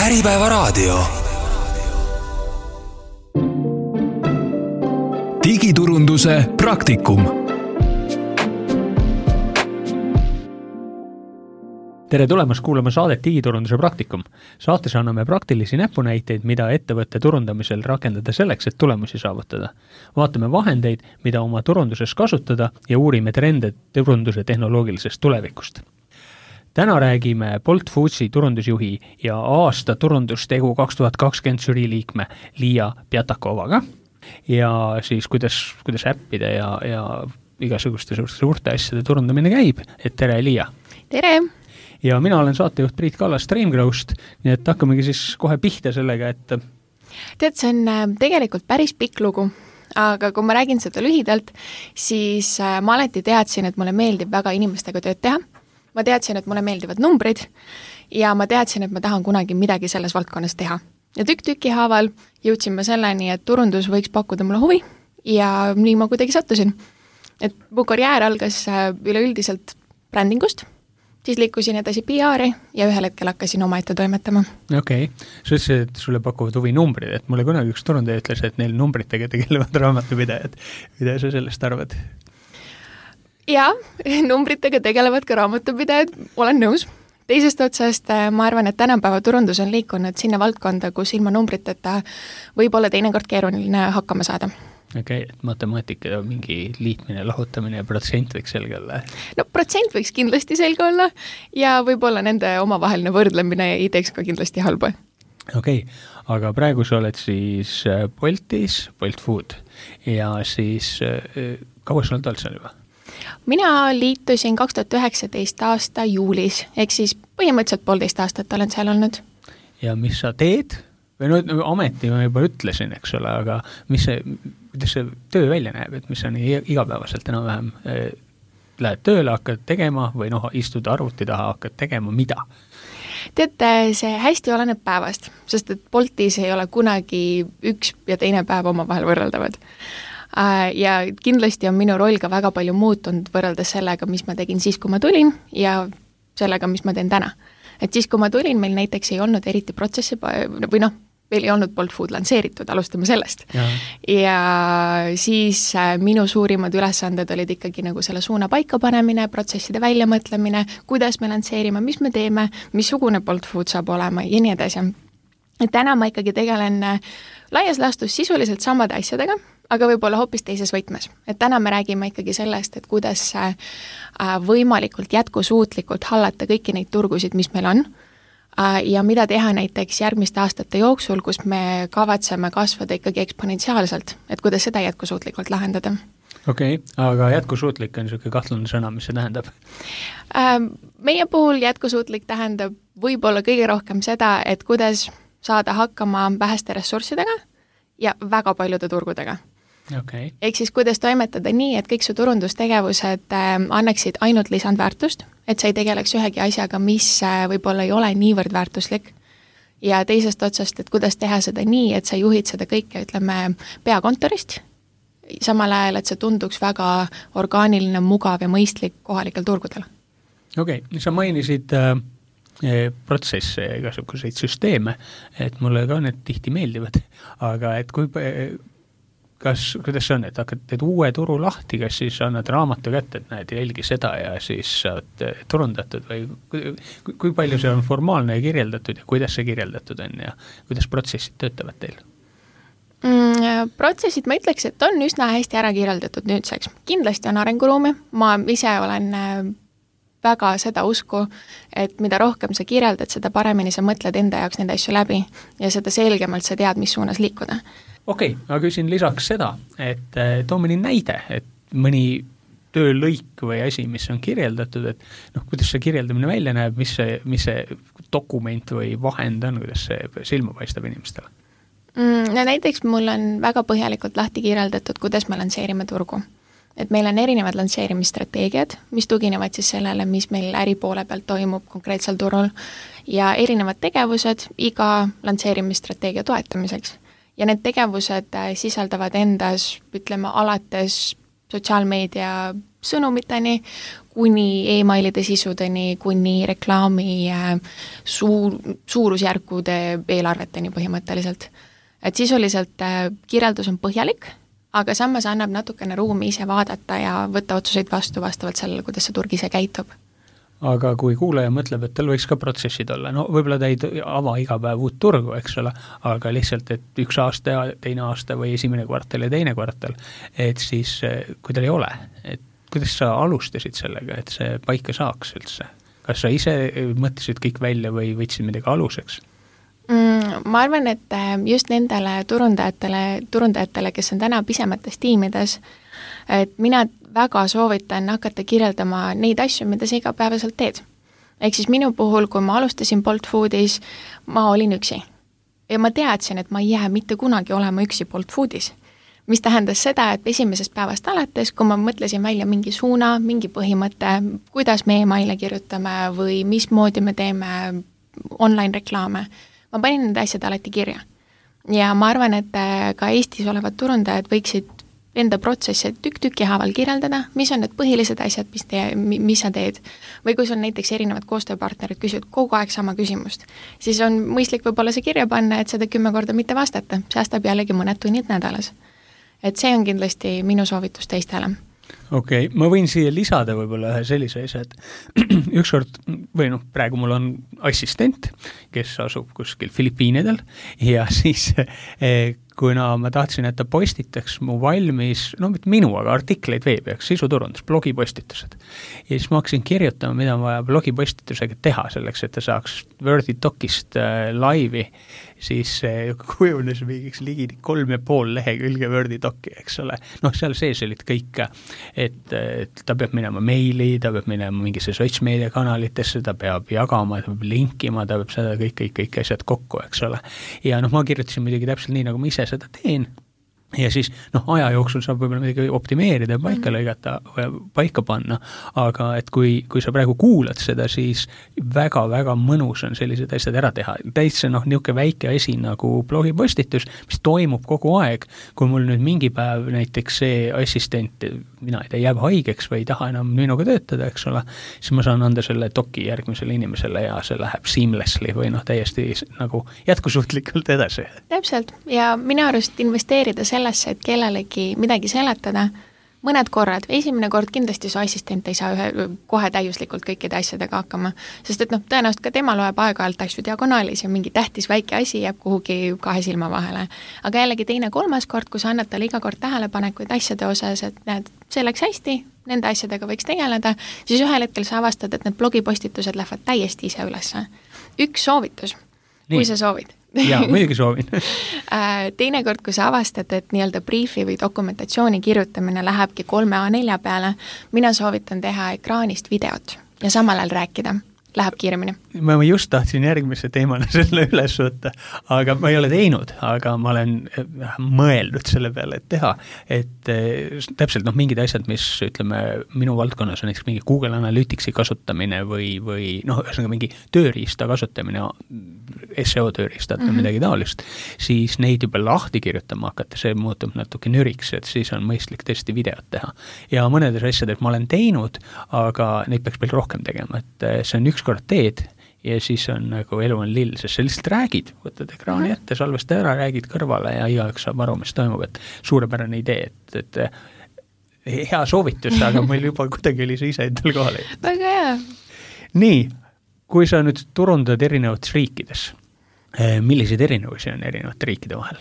Äripäevaraadio. Digiturunduse praktikum. Tere tulemast kuulama saadet Digiturunduse praktikum. Saates anname praktilisi näpunäiteid, mida ettevõtte turundamisel rakendada selleks, et tulemusi saavutada. Vaatame vahendeid, mida oma turunduses kasutada ja uurime trende turunduse tehnoloogilisest tulevikust. Täna räägime Bolt Foodsi turundusjuhi ja aasta turundustegu 2020 žürii liikme Liia Pjatakovaga ja siis kuidas äppide ja igasuguste suurte asjade turundamine käib. Et tere, Liia! Tere! Ja mina olen saatejuht Priit Kallas Streamgrowst, nii et hakkamegi siis kohe pihta sellega, et... Tead, see on tegelikult päris pikk lugu, aga kui ma räägin seda lühidalt, siis ma alati teadsin, et mulle meeldib väga inimestega tööd teha. Ma teadsin, et mulle meeldivad numbrid ja ma teadsin, et ma tahan kunagi midagi selles valdkonnas teha. Ja tükk-tüki haaval jõudsin ma selleni, et turundus võiks pakkuda mulle huvi ja nii ma kuidagi sattusin. Et mu karjäär algas üleüldiselt brändingust, siis liikusin edasi PR-i ja ühel hetkel hakkasin oma ette toimetama. Okei. Sa ütlesid, et sulle pakuvad huvi numbrid, et mulle kunagi üks turundaja ütles, et neil numbritega tegelevad raamatupidajad. Mida sa sellest arvad? Jaa, numbritega tegelevad ka raamatupidajad, olen nõus. Teisest otsast ma arvan, et tänapäeva turundus on liikunud sinna valdkonda, kus ilma numbriteta võib olla teinekord keeruline hakkama saada. Okei, et matemaatika mingi liitmine, lahutamine ja protsent võiks selge olla? No protsent võiks kindlasti selge olla ja võib-olla nende omavaheline võrdlemine ei teeks ka kindlasti halba. Okei, aga praegu sa oled siis Boltis, Bolt Food ja siis kaua sa oled seal juba? Mina liitusin 2019 aasta juulis, ehk siis põhimõtteliselt 1,5 aastat olen seal olnud. Ja mis sa teed? Või ameti ma juba ütlesin, eks ole, aga kuidas see töö välja näeb, et mis sa nii igapäevaselt enam-vähem lähed tööle, hakkad tegema või istud arvuti taha, hakkad tegema, mida? Teate, see hästi oleneb päevast, sest et Boltis ei ole kunagi üks ja teine päev omavahel võrreldavad. Ja kindlasti on minu roll ka väga palju muutunud võrreldes sellega, mis ma tegin siis, kui ma tulin ja sellega, mis ma teen täna. Et siis, kui ma tulin, meil näiteks ei olnud eriti protsessi või meil ei olnud Bolt Food lansseeritud, alustame sellest. Ja siis minu suurimad ülesanded olid ikkagi nagu selle suuna paika panemine, protsesside väljamõtlemine, kuidas me lansseerime, mis me teeme, missugune Bolt Food saab olema ja nii edasi. Et täna ma ikkagi tegelen laias laastus sisuliselt samade asjadega, aga võib-olla hoopis teises võtmes. Et täna me räägime ikkagi sellest, et kuidas võimalikult jätkusuutlikult hallata kõiki neid turgusid, mis meil on ja mida teha näiteks järgmiste aastate jooksul, kus me kavatseme kasvada ikkagi eksponentsiaalselt, et kuidas seda jätkusuutlikult lahendada. Okei, aga jätkusuutlik on niisugune kahtlane sõna, mis see tähendab? Meie puhul jätkusuutlik tähendab võib-olla kõige rohkem seda, et kuidas saada hakkama väheste ressurssidega ja väga paljude turgudega. Okay. Ehk siis kuidas toimetada nii, et kõik su turundustegevused annaksid ainult lisandväärtust, et sa ei tegeleks ühegi asjaga, mis võib-olla ei ole niivõrd väärtuslik ja teisest otsast, et kuidas teha seda nii, et sa juhid seda kõike, ütleme, peakontorist, samal ajal, et see tunduks väga orgaaniline, mugav ja mõistlik kohalikel turgudel. Okei, sa mainisid protsesse ja igasuguseid süsteeme, et mulle ka need tihti meeldivad, aga et kuidas see on, et hakkad teed uue turu lahti, kas siis annad raamatu kätte, et näed, jälgi seda ja siis saad turundatud või kui palju see on formaalne ja kirjeldatud ja kuidas see kirjeldatud on ja kuidas protsessid töötavad teil? Protsessid, ma ütleks, et on üsna hästi ära kirjeldatud nüüdseks. Kindlasti on arenguruumi, ma ise olen väga seda usku, et mida rohkem sa kirjeldad, seda paremini sa mõtled enda jaoks neid asju läbi ja seda selgemalt sa tead, mis suunas liikuda. Okei, ma küsin lisaks seda, et too mõni näide, et mõni töölõik või asi, mis on kirjeldatud, et kuidas see kirjeldamine välja näeb, mis see dokument või vahend on, kuidas see silma paistab inimestele? No näiteks mul on väga põhjalikult lahti kirjeldatud, kuidas me lansseerime turgu. Et meil on erinevad lansseerimisstrateegiad, mis tuginevad siis sellele, mis meil äripoole pealt toimub konkreetsel turul ja erinevad tegevused iga lansseerimisstrateegia toetamiseks. Ja need tegevused sisaldavad endas, ütleme, alates sotsiaalmeedia sõnumiteni, kuni emailide sisudeni, kuni reklaami suurusjärkude eelarveteni põhimõtteliselt. Et sisuliselt kirjeldus on põhjalik, aga samas annab natukene ruumi ise vaadata ja võtta otsuseid vastavalt sellele, kuidas see turg ise käitub. Aga kui kuulaja mõtleb, et tal võiks ka protsessid olla, no võib-olla ta ei ava iga päev uut turgu, eks ole, aga lihtsalt, et üks aasta ja teine aasta või esimene kvartal ja teine kvartal, et siis, kui tal ei ole, et kuidas sa alustasid sellega, et see paika saaks üldse? Kas sa ise mõtlesid kõik välja või võtsid midagi aluseks? Ma arvan, et just nendele turundajatele, kes on täna pisemates tiimides, et mina väga soovitan hakata kirjeldama neid asju, mida sa igapäevaselt teed. Ehk siis minu puhul, kui ma alustasin Bolt Foodis, ma olin üksi. Ja ma teadsin, et ma ei jää mitte kunagi olema üksi Bolt Foodis. Mis tähendas seda, et esimesest päevast alates, kui ma mõtlesin välja mingi suuna, mingi põhimõte, kuidas me emaile kirjutame või mismoodi me teeme online reklaame, ma panin need asjad alati kirja. Ja ma arvan, et ka Eestis olevad turundajad võiksid enda protsessi tükk-tüki haaval kirjeldada, mis on need põhilised asjad, mis sa teed. Või kui sul näiteks erinevad koostööpartnerid küsivad kogu aeg sama küsimust, siis on mõistlik võib-olla see kirja panna, et seda 10 korda mitte vastata, säästab jällegi mõned tunnid nädalas. Et see on kindlasti minu soovitus teistele. Okei, ma võin siia lisada võib-olla ühe sellise asja, et ükskord, või praegu mul on assistent, kes asub kuskil Filipiinidel ja siis kuna ma tahtsin, et ta postitaks mu valmis, mitte minu, aga artikleid veebi, sisuturundus, blogipostitused. Ja siis ma hakkasin kirjutama, mida on vaja blogipostitusega teha selleks, et ta saaks Wordi docist laivi, siis kujunes mingiks ligi 3,5 lehekülge Wordi doci, eks ole. Seal sees olid kõik, et ta peab minema meili, ta peab minema mingisse sotsmeediakanalitesse, ta peab jagama, ta peab linkima, ta peab seda kõik asjad kokku, eks ole. Ja ma kirjutasin midagi täpselt nii, nagu ma ise seda teen. Ja siis aja jooksul saab võib-olla midagi optimeerida ja paika lõigata, paika panna, aga et kui sa praegu kuulad seda, siis väga-väga mõnus on sellised asjad ära teha. Täitsa niisugune väike asi nagu blogipostitus, mis toimub kogu aeg, kui mul nüüd mingi päev näiteks see assistent, mina ei tea, jääb haigeks või ei taha enam minuga töötada, eks ole, siis ma saan anda selle doki järgmisele inimesele ja see läheb seamlessly või täiesti nagu jätkusuutlikult edasi. Täpselt, ja minu arust investeerida sellesse, et kellelegi midagi seletada, mõned korrad, esimene kord kindlasti su assistent ei saa kohe täiuslikult kõikide asjadega hakkama, sest et tõenäoliselt ka tema loeb aeg-ajalt asju diagonaalis ja mingi tähtis väike asi jääb kuhugi 2 silma vahele. Aga jällegi teine, 3. kord, kui sa annad talle iga kord tähelepanekuid asjade osas, et näed, see läks hästi, nende asjadega võiks tegeleda, siis ühel hetkel sa avastad, et need blogipostitused lähevad täiesti ise ülesse. Üks soovitus, kui sa soovid. Jaa, muidugi soovin. Teinekord, kui sa avastad, et nii-öelda briefi või dokumentatsiooni kirjutamine lähebki 3 A4 peale, mina soovitan teha ekraanist videot ja samal ajal rääkida. Läheb kiiremini. Ma just tahtsin järgmise teemana selle üles võtta, aga ma ei ole teinud, aga ma olen mõeldud selle peale, et teha, et täpselt mingid asjad, mis ütleme minu valdkonnas on näiteks mingi Google Analyticsi kasutamine või ühesõnaga mingi tööriista kasutamine, SEO tööriistad või midagi taolist, siis neid juba lahti kirjutama hakata, see muutub natuke nüriks, et siis on mõistlik tõesti videot teha. Ja mõnedes asjades ma olen teinud, aga neid peaks veel rohkem tegema, et see on ükskord teed ja siis on nagu elu on lill, sest sa lihtsalt räägid, võtad ekraani ette, salvesta ära, räägid kõrvale ja igaüks saab aru, mis toimub, et suurepärane idee, et hea soovitus, aga meil juba kuidagi oli see ise endal kohale. Väga hea. Nii, kui sa nüüd turundad erinevates riikides, milliseid erinevusi on erinevate riikide vahel?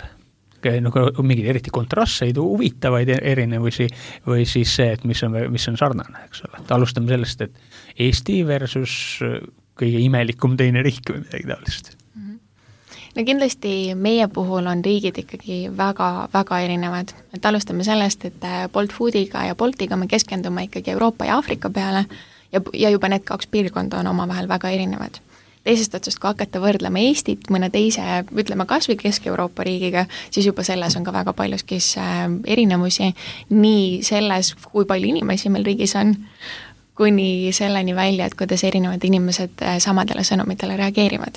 Mingid eriti kontrastseid, huvitavaid erinevusi või siis see, et mis on sarnane, eks ole. Alustame sellest, et Eesti versus kõige imelikum teine riik või midagi taolist. No kindlasti meie puhul on riigid ikkagi väga erinevad. Et alustame sellest, et Bolt Foodiga ja Boltiga me keskendume ikkagi Euroopa ja Aafrika peale ja juba need 2 piirkonda on omavahel väga erinevad. Teisest otsast, kui hakata võrdlema Eestit mõne teise, ütleme kas või Kesk-Euroopa riigiga, siis juba selles on ka väga paljuskis erinevusi, nii selles, kui palju inimesi meil riigis on, kuni selleni välja, et kuidas erinevad inimesed samadele sõnumitele reageerivad.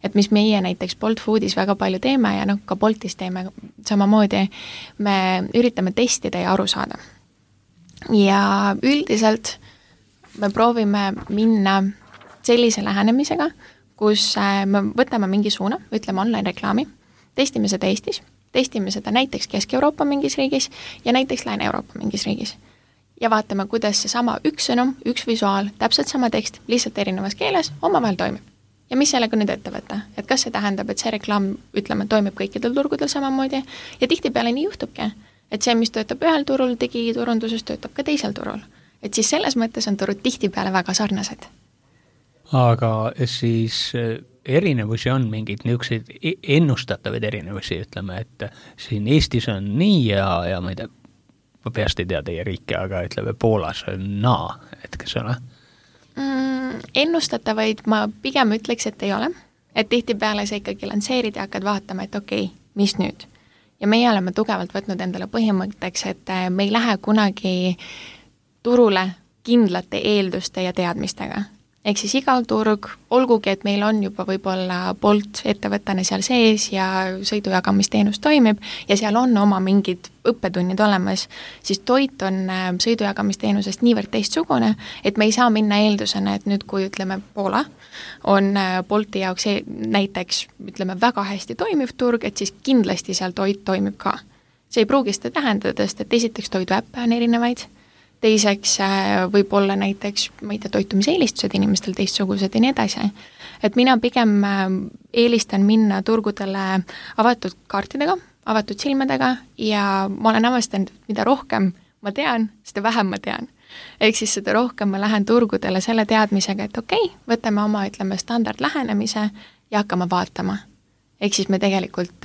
Et mis meie näiteks Bolt Foodis väga palju teeme ja ka Boltis teeme samamoodi, me üritame testida ja aru saada. ja üldiselt me proovime minna sellise lähenemisega, kus me võtame mingi suuna, ütleme online-reklaami, testime seda Eestis, testime seda näiteks Kesk-Euroopa mingis riigis ja näiteks Lääne-Euroopa mingis riigis. Ja vaatame, kuidas see sama üks sõnum, üks visuaal, täpselt sama tekst, lihtsalt erinevas keeles, omavahel toimib. Ja mis sellega nüüd ette võtta? Et kas see tähendab, et see reklaam, ütleme, toimib kõikidel turgudel samamoodi ja tihtipeale nii juhtubki, et see, mis töötab ühel turul, digiturunduses töötab ka teisel turul. Et siis selles mõttes on turud tihtipeale väga sarnased. Aga siis erinevusi on mingid niisuguseid ennustatavaid erinevusi, ütleme, et siin Eestis on nii ja ma ei tea, ma peast ei tea teie riike, aga ütleme, Poolas on naa, et kas ole? Ennustatavaid ma pigem ütleks, et ei ole. Et tihtipeale sa ikkagi lansseerid ja hakkad vaatama, et okei, mis nüüd? Ja meie oleme tugevalt võtnud endale põhimõtteks, et me ei lähe kunagi turule kindlate eelduste ja teadmistega. Ehk siis iga turg, olgugi, et meil on juba võib-olla Bolt ettevõttena seal sees ja sõidujagamisteenus toimib ja seal on oma mingid õppetunnid olemas, siis toit on sõidujagamisteenusest niivõrd teistsugune, et me ei saa minna eeldusena, et nüüd kui ütleme Poola on Bolti jaoks näiteks ütleme väga hästi toimiv turg, et siis kindlasti seal toit toimib ka. See ei pruugi seda tähendada, sest et esiteks toiduäppe on erinevaid, teiseks võib olla näiteks, ma ei tea, toitumiseelistused inimestel teistsugused ja nii edasi. Et mina pigem eelistan minna turgudele avatud kaartidega, avatud silmadega ja ma olen avastanud, mida rohkem ma tean, seda vähem ma tean. Ehk siis seda rohkem ma lähen turgudele selle teadmisega, et okei, võtame oma, ütleme, standard lähenemise ja hakkame vaatama. Ehk siis me tegelikult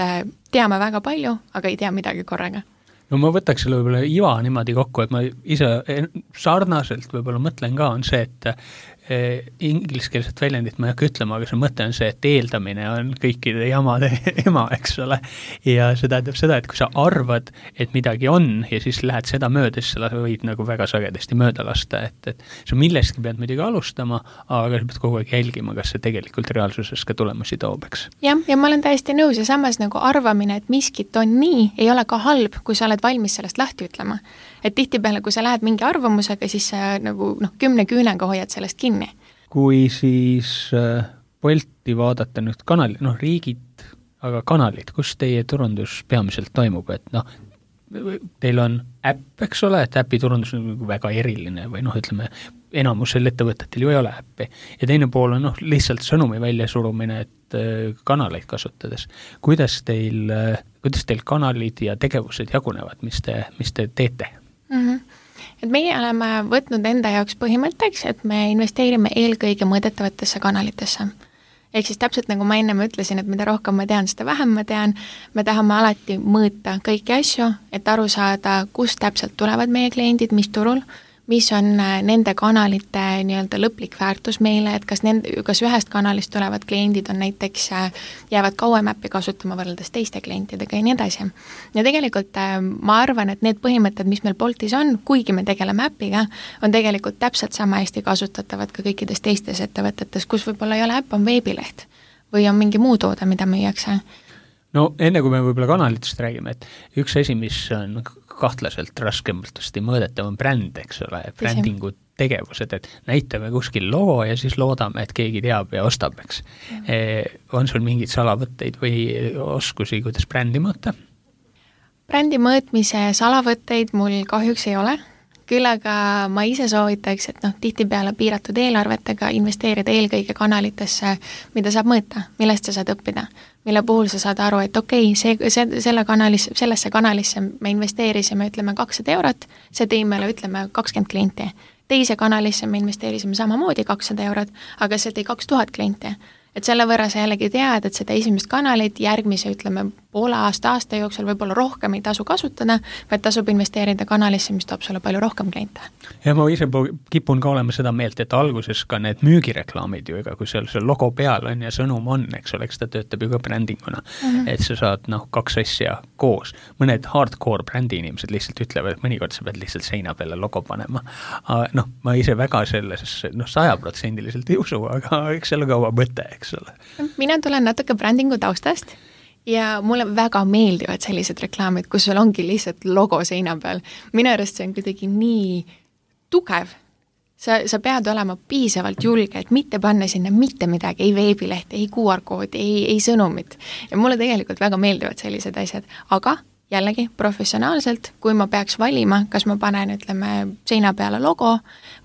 teame väga palju, aga ei tea midagi korraga. No ma võtaks selle võib-olla iva niimoodi kokku, et ma ise sarnaselt võib-olla mõtlen ka, on see, et ingliskeelset väljendit ma ei hakka ütlema, aga see mõte on see, et eeldamine on kõikide jamade ema, eks ole. Ja see tähendab seda, et kui sa arvad, et midagi on ja siis lähed seda mööda, siis sa võid nagu väga sagedasti mööda lasta, et sa millestki pead muidugi alustama, aga sa pead kogu aeg jälgima, kas see tegelikult reaalsuses ka tulemusi toob, eks. Ja ma olen täiesti nõus ja samas nagu arvamine, et miskit on nii, ei ole ka halb, kui sa oled valmis sellest lahti ütlema. Et tihtipeale, kui sa lähed mingi arvamusega, siis sa nagu 10 küünega hoiad sellest kinni. Kui siis Bolti vaadata nüüd kanali, riigid, aga kanalid, kus teie turundus peamiselt toimub, et teil on äpp, eks ole, et äpi turundus on väga eriline või ütleme, enamusel ettevõtetel ju ei ole äppi. Ja teine pool on lihtsalt sõnumi väljasurumine, et kanaleid kasutades. Kuidas teil kanalid ja tegevused jagunevad, mis te teete? Et meie oleme võtnud enda jaoks põhimõtteks, et me investeerime eelkõige mõõdetavatesse kanalitesse. Ehk siis täpselt nagu ma ennem ütlesin, et mida rohkem ma tean, seda vähem ma tean, me tahame alati mõõta kõiki asju, et aru saada, kust täpselt tulevad meie kliendid, mis turul, mis on nende kanalite nii-öelda lõplik väärtus meile, et kas ühest kanalist tulevad kliendid on näiteks, jäävad kauem äppi kasutama võrreldes teiste klientidega ja nii edasi. Ja tegelikult ma arvan, et need põhimõtted, mis meil Boltis on, kuigi me tegeleme äppiga, on tegelikult täpselt sama hästi kasutatavad ka kõikides teistes ettevõtetes, kus võib-olla ei ole äpp, on veebileht või on mingi muu toode, mida müüakse. No enne kui me võib-olla kanalitest räägime, et üks asi, mis on kahtlaselt raskemalt mõõdetav on bränd, eks ole, brändingu tegevused, et näitame kuskil logo ja siis loodame, et keegi teab ja ostab, eks. On sul mingid salavõtteid või oskusi, kuidas brändi mõõta? Brändi mõõtmise salavõtteid mul kahjuks ei ole. Küll aga ma ise soovitaks, et tihtipeale piiratud eelarvetega investeerida eelkõige kanalitesse, mida saab mõõta, millest sa saad õppida, mille puhul sa saad aru, et okei, sellesse kanalisse me investeerisime, ütleme, 200 eurot, see tõi meile, ütleme, 20 klienti. Teise kanalisse me investeerisime samamoodi 200 eurot, aga see tõi 2000 klienti. Et selle võrra sa jällegi tead, et seda esimest kanalit järgmise, ütleme, poole aasta jooksul võib-olla rohkem ei tasu kasutada, vaid tasub investeerida kanalisse, mis toob sulle palju rohkem kliente. Ja ma ise kipun ka olema seda meelt, et alguses ka need müügireklaamid ju, kui seal see logo peal on ja sõnum on, eks ole, ta töötab ju ka brändinguna, et sa saad 2 asja koos. Mõned hardcore brändi inimesed lihtsalt ütlevad, et mõnikord sa pead lihtsalt seina peale logo panema. Ma ise väga selles 100% ei usu, aga eks selle kaua mõte, eks ole. Mina tulen natuke brändingu taustast ja mulle väga meeldivad sellised reklaamid, kus sul ongi lihtsalt logo seina peal. Minu arust see on kuidagi nii tugev. Sa pead olema piisavalt julge, et mitte panna sinna mitte midagi, ei veebilehte, ei QR-koodi, ei sõnumit. Ja mulle tegelikult väga meeldivad sellised asjad, aga jällegi professionaalselt, kui ma peaks valima, kas ma panen, ütleme, seina peale logo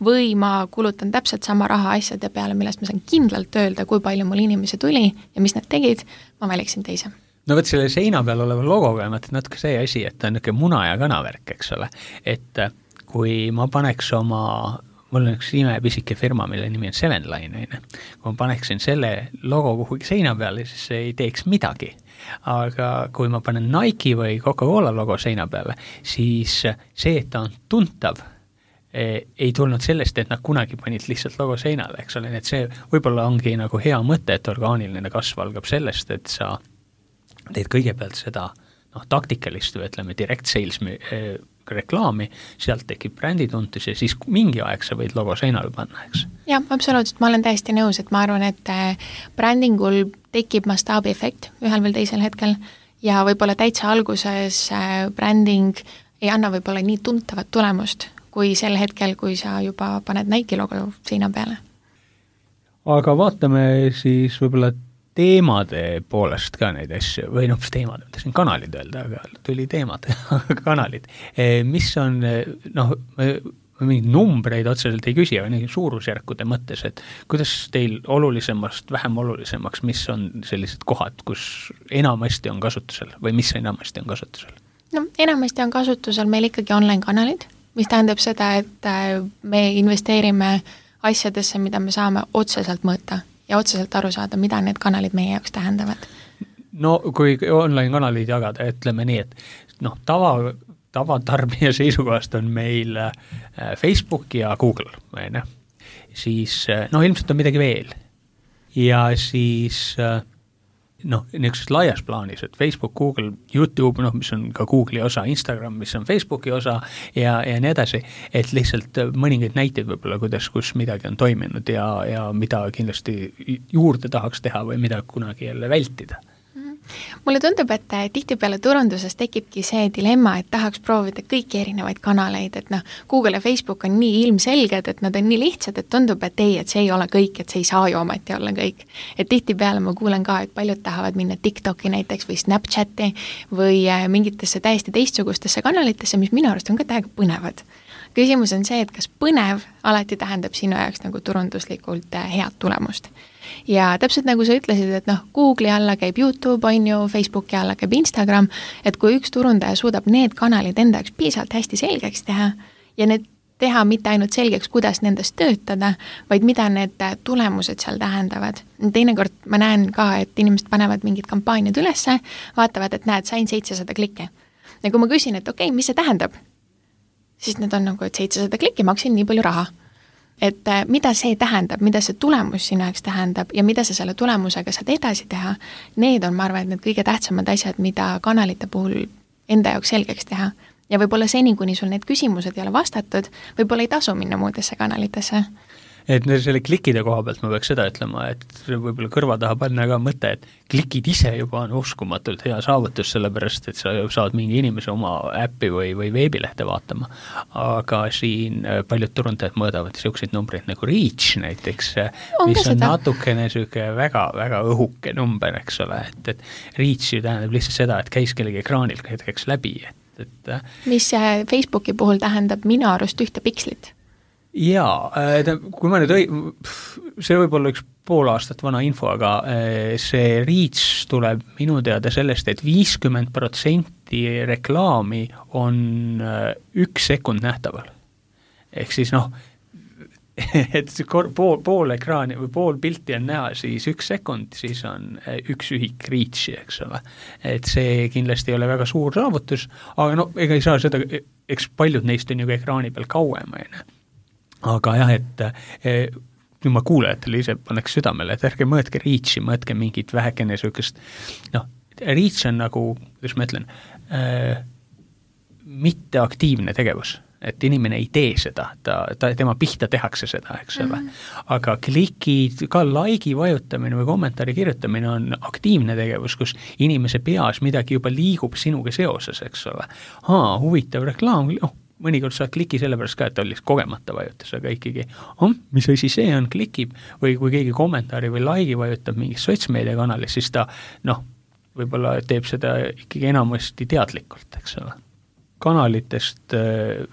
või ma kulutan täpselt sama raha asjade peale, millest ma saan kindlalt öelda, kui palju mul inimesi tuli ja mis nad tegid, ma valiksin teise. No võt selle seina peal oleva logoga on natuke see asi, et ta on niisugune muna ja kanavärk, eks ole. Et kui ma paneks mul on üks imepisike firma, mille nimi on Seven Line, kui ma paneksin selle logo kuhugi seina peale, siis see ei teeks midagi. Aga kui ma panen Nike või Coca-Cola logo seina peale, siis see, et ta on tuntav, ei tulnud sellest, et nad kunagi panid lihtsalt logo seinale, eks ole, et see võib-olla ongi nagu hea mõte, et orgaaniline kasv algab sellest, et sa teed kõigepealt seda taktikalist või ütleme direct sales reklaami, sealt tekib brändituntus ja siis mingi aeg sa võid logo seinale panna, eks? Jah, absoluutselt, ma olen täiesti nõus, et ma arvan, et brändingul tekib mastaabi efekt ühel või teisel hetkel ja võib-olla täitsa alguses bränding ei anna võib-olla nii tuntavat tulemust, kui sel hetkel, kui sa juba paned Nike logo seina peale. Aga vaatame siis võib-olla teemade poolest ka neid asju, või teemad, mõtlesin kanalid öelda, aga tuli teemad, kanalid. Mis on, mingid numbreid otseselt ei küsi, aga suurusjärkude mõttes, et kuidas teil olulisemast, vähem olulisemaks, mis on sellised kohad, kus enamasti on kasutusel või mis enamasti on kasutusel? No enamasti on kasutusel meil ikkagi online-kanalid, mis tähendab seda, et me investeerime asjadesse, mida me saame otseselt mõõta ja otseselt aru saada, mida need kanalid meie jaoks tähendavad. No kui online-kanalid jagada, ütleme nii, et tavatarbija seisukohast on meil Facebook ja Google, siis ilmselt on midagi veel. Ja siis niisuguses laias plaanis, et Facebook, Google, YouTube, mis on ka Google'i osa, Instagram, mis on Facebooki osa ja nii edasi, et lihtsalt mõningaid näiteid võib-olla, kus midagi on toiminud ja mida kindlasti juurde tahaks teha või mida kunagi jälle vältida. Mulle tundub, et tihtipeale turunduses tekibki see dilemma, et tahaks proovida kõiki erinevaid kanaleid, et Google ja Facebook on nii ilmselged, et nad on nii lihtsad, et tundub, et see ei ole kõik, et see ei saa ju ometi olla kõik. Et tihtipeale ma kuulen ka, et paljud tahavad minna TikToki näiteks või Snapchati või mingitesse täiesti teistsugustesse kanalitesse, mis minu arust on ka täiega põnevad. Küsimus on see, et kas põnev alati tähendab sinu jaoks nagu turunduslikult head tulemust. Ja täpselt nagu sa ütlesid, et Google'i alla käib YouTube, on ju, Facebooki alla käib Instagram, et kui üks turundaja suudab need kanalid enda jaoks piisavalt hästi selgeks teha ja need teha mitte ainult selgeks, kuidas nendest töötada, vaid mida need tulemused seal tähendavad. Teinekord ma näen ka, et inimesed panevad mingid kampaaniad ülesse, vaatavad, et näed, sain 700 klikke. Ja kui ma küsin, et okei, mis see tähendab? Siis need on nagu, et 700 klikki maksin nii palju raha. Et mida see tähendab, mida see tulemus sinu jaoks tähendab ja mida sa selle tulemusega saad edasi teha, need on, ma arvan, et need kõige tähtsamad asjad, mida kanalite puhul enda jaoks selgeks teha. Ja võib-olla seni, kuni sul need küsimused ei ole vastatud, võib-olla ei tasu minna muudesse kanalitesse. Et selle klikkide koha pealt ma peaks seda ütlema, et võib-olla kõrva taha panna ka mõte, et klikid ise juba on uskumatult hea saavutus, sellepärast, et sa saad mingi inimese oma äppi või veebilehte vaatama. Aga siin paljud turundajad mõõdavad selliseid numbreid nagu reach näiteks, mis on natukene väga, väga õhuke number, eks ole, et reach ju tähendab lihtsalt seda, et käis kellegi ekraanil hetkeks läbi. Mis Facebooki puhul tähendab minu arust ühte pikslit? Jaa, kui ma nüüd see võib olla üks pool aastat vana info, aga see reach tuleb minu teada sellest, et 50% reklaami on 1 sekund nähtaval. Ehk siis et pool ekraani või pool pilti on näha, siis 1 sekund, siis on 1 ühik reach'i, eks ole. Et see kindlasti ei ole väga suur saavutus, aga ega ei saa seda, eks paljud neist on ju ekraani peal kauem, aga jah, et nüüd ma kuulajatele ise paneks südamele, et ärge mõõtke reach'i, mõõtke mingit vähekene sükest, reach on nagu, kuidas ma ütlen, mitteaktiivne tegevus. et inimene ei tee seda, tema pihta tehakse seda, eks ole. Aga klikid, ka like'i vajutamine või kommentaari kirjutamine on aktiivne tegevus, kus inimese peas midagi juba liigub sinuga seoses, eks ole. Huvitav reklaam, mõnikord saad kliki sellepärast ka, et oli kogemata vajutas, aga ikkagi, mis asi see on, klikib, või kui keegi kommentaari või like'i vajutab mingis sotsmeediakanalis, siis ta, võib-olla teeb seda ikkagi enamasti teadlikult, eks ole. Kanalitest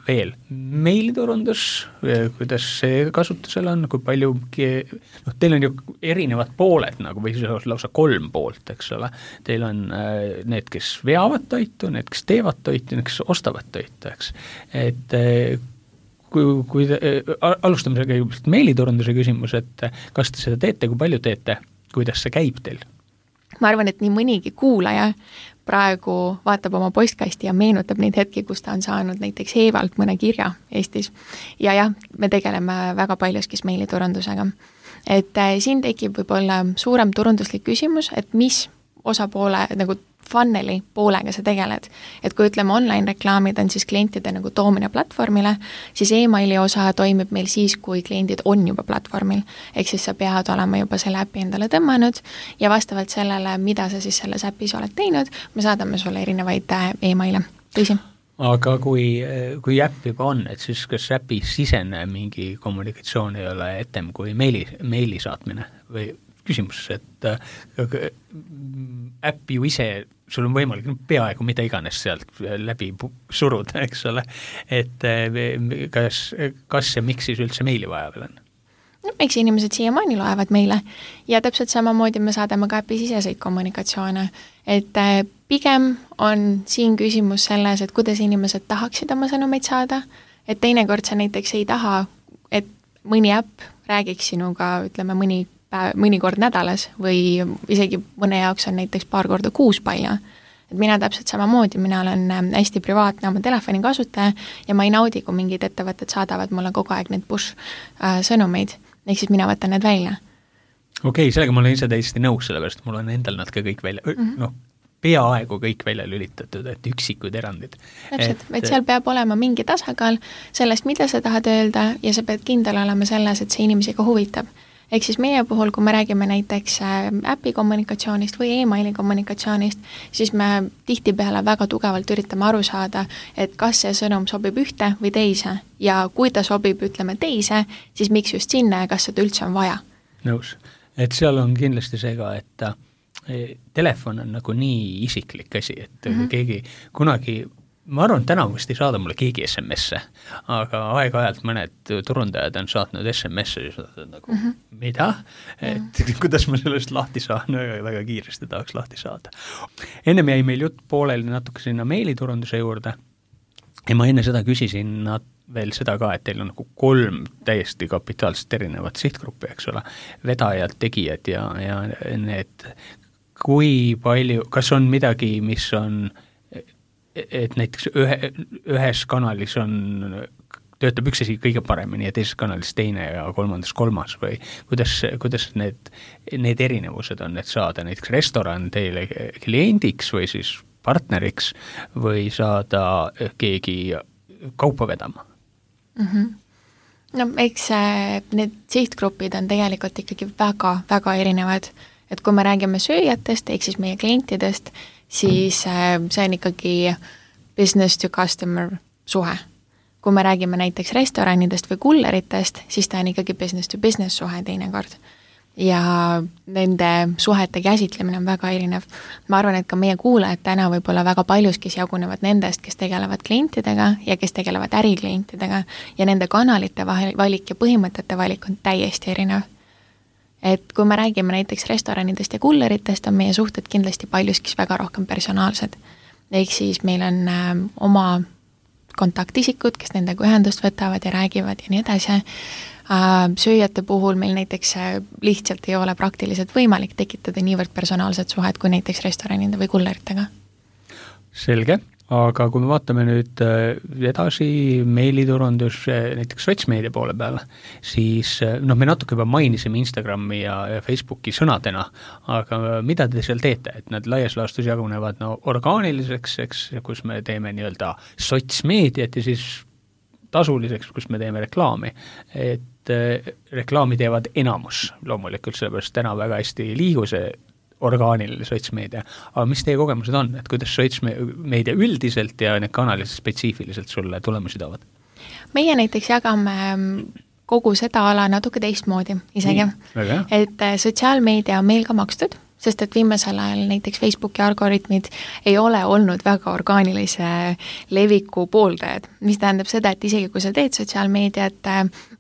veel, meiliturundus, kuidas see kasutusel on, kui palju, teil on ju erinevad pooled, nagu või lausa 3 poolt, eks ole. Teil on need, kes veavad toitu, need, kes teevad toitu, need, kes ostavad toitu, eks. Et kui alustame selle kõigepealt meiliturunduse küsimus, et kas te seda teete, kui palju teete, kuidas see käib teil? Ma arvan, et nii mõnigi kuulaja praegu vaatab oma postkasti ja meenutab neid hetki, kus ta on saanud näiteks Eevalt mõne kirja Eestis. Ja jah, me tegeleme väga paljuskis meiliturundusega. Et siin tekib võib-olla suurem turunduslik küsimus, et mis osapoole nagu funneli poolega sa tegeled. Et kui ütleme online reklaamid on siis klientide nagu toomine platvormile, siis emaili osa toimib meil siis, kui kliendid on juba platvormil. Ehk siis sa pead olema juba selle äpi endale tõmmanud ja vastavalt sellele, mida sa siis selles äpis oled teinud, me saadame sulle erinevaid emaile. Tõsi? Aga kui äpp juba on, et siis kas äpi sisene mingi kommunikatsioon ei ole etem kui meili saatmine või küsimus, et äpp ju ise, sul on võimalik peaaegu mida iganes sealt läbi suruda, eks ole, et kas ja miks siis üldse meili vaja veel on? Eks inimesed siiamaani loevad meile ja täpselt samamoodi me saadame ka äpi siseseid kommunikatsioone, et pigem on siin küsimus selles, et kuidas inimesed tahaksid oma sõnumeid saada, et teinekord sa näiteks ei taha, et mõni äpp räägiks sinuga, ütleme mõnikord nädalas või isegi mõne jaoks on näiteks paar korda kuus palju. Et mina täpselt samamoodi, mina olen hästi privaatne oma telefoni kasutaja ja ma ei naudi, kui mingid ettevõtted saadavad mulle kogu aeg need push sõnumeid, ehk siis mina võtan need välja. Okei, sellega ma olen ise täiesti nõus, sellepärast mul on endal nad ka kõik välja, peaaegu kõik välja lülitatud, et üksikud erandid. Täpselt, et seal peab olema mingi tasakaal sellest, mida sa tahad öelda ja sa pead kindel olema selles, et see inimesi ka huvitab. Ehk siis meie puhul, kui me räägime näiteks äpi kommunikatsioonist või emaili kommunikatsioonist, siis me tihtipeale väga tugevalt üritame aru saada, et kas see sõnum sobib ühte või teise ja kui ta sobib, ütleme teise, siis miks just sinna ja kas seda üldse on vaja. Nõus, et seal on kindlasti see ka, et telefon on nagu nii isiklik asi, et keegi kunagi ma arvan, täna vist ei saada mulle keegi SMS-e, aga aeg-ajalt mõned turundajad on saatnud SMS-e ja nagu, mida? Et kuidas ma sellest lahti saan, väga kiiresti tahaks lahti saada. Ennem jäi meil jutt pooleli natuke sinna meiliturunduse juurde ja ma enne seda küsisin veel seda ka, et teil on nagu 3 täiesti kapitaalselt erinevat sihtgruppi, eks ole, vedajad, tegijad ja need, kui palju, kas on midagi, mis on et näiteks ühes kanalis töötab üks asi kõige paremini ja teises kanalis teine ja kolmas või kuidas need erinevused on, et saada näiteks restoran teile kliendiks või siis partneriks või saada keegi kaupa vedama? No eks need sihtgrupid on tegelikult ikkagi väga erinevad, et kui me räägime sööjatest, ehk siis meie klientidest, siis see on ikkagi business to customer suhe. Kui me räägime näiteks restoranidest või kulleritest, siis ta on ikkagi business to business suhe teinekord. Ja nende suhete käsitlemine on väga erinev. Ma arvan, et ka meie kuulajad täna võib-olla väga paljuskis jagunevad nendest, kes tegelevad klientidega ja kes tegelevad äriklientidega ja nende kanalite valik ja põhimõtete valik on täiesti erinev. Et kui me räägime näiteks restoranidest ja kulleritest, on meie suhted kindlasti paljuskis väga rohkem personaalsed. Ehk siis meil on oma kontaktisikud, kes nendega ühendust võtavad ja räägivad ja nii edasi. Sööjate puhul meil näiteks lihtsalt ei ole praktiliselt võimalik tekitada niivõrd personaalset suhet kui näiteks restoranide või kulleritega. Selge. Aga kui me vaatame nüüd edasi meiliturundus näiteks sotsmeedia poole peale, siis me natuke juba mainisime Instagrami ja Facebooki sõnadena, aga mida te seal teete, et nad laias laastus jagunevad orgaaniliseks, eks, kus me teeme nii-öelda sotsmeediat ja siis tasuliseks, kus me teeme reklaami, et reklaami teevad enamus loomulikult, sellepärast täna väga hästi liigu see orgaaniline sotsmeedia, aga mis teie kogemused on, et kuidas sotsmeedia üldiselt ja need kanalid spetsiifiliselt sulle tulemusi toovad? Meie näiteks jagame kogu seda ala natuke teistmoodi isegi, et sotsiaalmeedia on meil ka makstud, sest et viimasel ajal näiteks Facebooki algoritmid ei ole olnud väga orgaanilise leviku pooldajad, mis tähendab seda, et isegi kui sa teed sotsiaalmeediat,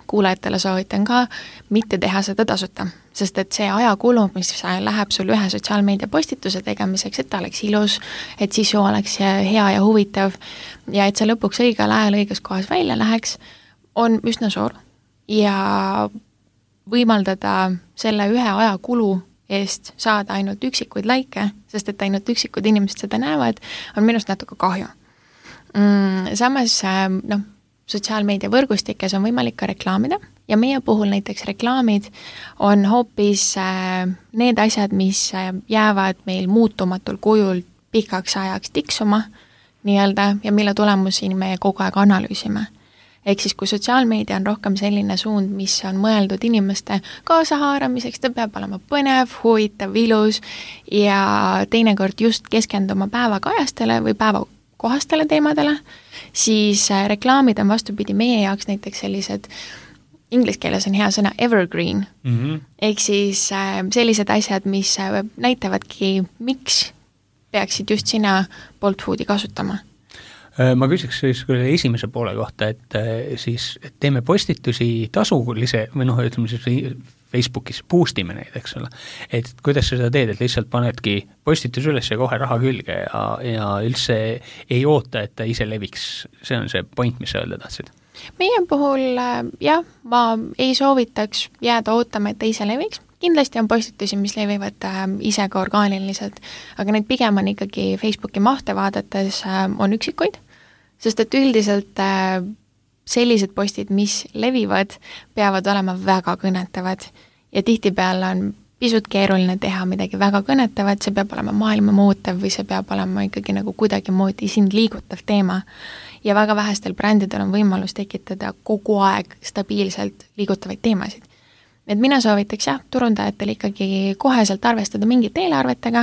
kuulajatele soovitan ka mitte teha seda tasuta, sest et see ajakulu, mis läheb sul ühe sotsiaalmeedia postituse tegemiseks, et ta oleks ilus, et sisu oleks hea ja huvitav ja et see lõpuks õigel ajal õiges kohas välja läheks, on üsna suur ja võimaldada selle ühe ajakulu eest saada ainult üksikuid laike, sest et ainult üksikud inimesed seda näevad, on minust natuke kahju. Samas, sotsiaalmeedia võrgustikes on võimalik ka reklaamida ja meie puhul näiteks reklaamid on hoopis need asjad, mis jäävad meil muutumatul kujul pikaks ajaks tiksuma nii-öelda ja mille tulemusi me kogu aeg analüüsime. Ehk siis, kui sotsiaalmeedia on rohkem selline suund, mis on mõeldud inimeste kaasahaaramiseks, ta peab olema põnev, huvitav, ilus ja teinekord just keskenduma päevakajastele või päevakohastele teemadele, siis reklaamid on vastupidi meie jaoks näiteks sellised, inglise keeles on hea sõna evergreen, ehk siis sellised asjad, mis näitavadki, miks peaksid just sina Bolt Foodi kasutama. Ma küsiks siis esimese poole kohta, et siis teeme postitusi tasulise või ütleme siis Facebookis boostime neid, eks ole. Et kuidas sa seda teed, et lihtsalt panedki postitus üles ja kohe raha külge ja üldse ei oota, et ta ise leviks. See on see point, mis sa öelda tahtsid. Meie puhul ma ei soovitaks jääda ootama, et ta ise leviks. Kindlasti on postitusi, mis levivad ise ka orgaaniliselt, aga need pigem on ikkagi Facebooki mahte vaadates on üksikuid, sest et üldiselt sellised postid, mis levivad, peavad olema väga kõnetavad ja tihtipeale on pisut keeruline teha midagi väga kõnetavat, see peab olema maailma muutev või see peab olema ikkagi nagu kuidagi moodi sind liigutav teema ja väga vähestel brändidel on võimalus tekitada kogu aeg stabiilselt liigutavaid teemasid. Et mina soovitaks turundajatel ikkagi koheselt arvestada mingite eelarvetega,